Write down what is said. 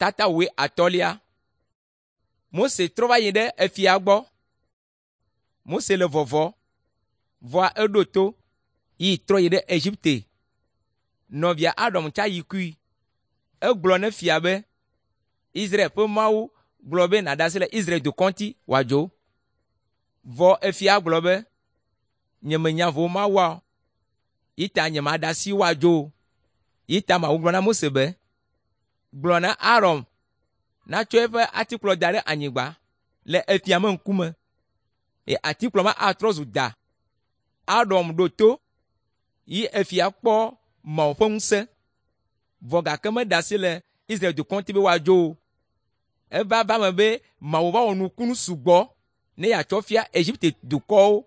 Tata wuiatɔ̃lia. Mose trɔ va yi ɖe efia gbɔ. Mose le vɔvɔ̃, vɔa eɖo to yi trɔ yi ɖe Egipte. Nɔvia Aron tsa yi kui. Egblɔ ne fia be, Israel ƒe Mawu gblɔ be nàɖe asi le Israel dukɔ ŋuti wòadzo. Vɔ efia gblɔ be, nyemenya vo Mawua o, yi ta nyemaɖe asi woadzo o. Yi ta Mawu gblɔ na Mose be, gblɔ na Aron natsɔ eƒe atikplɔ da ɖe anyigba le efia me ŋkume eye atikplɔ ma atrɔ zu da. Aron ɖo to yi efia kpɔ Mawu ƒe ŋusẽ, vɔ gake meɖe asi le Israel dukɔ ŋuti be woadzo o. Eva va eme be Mawu va wɔ nukunu sugbɔ ne yeatsɔ fia Egipte dukɔwo.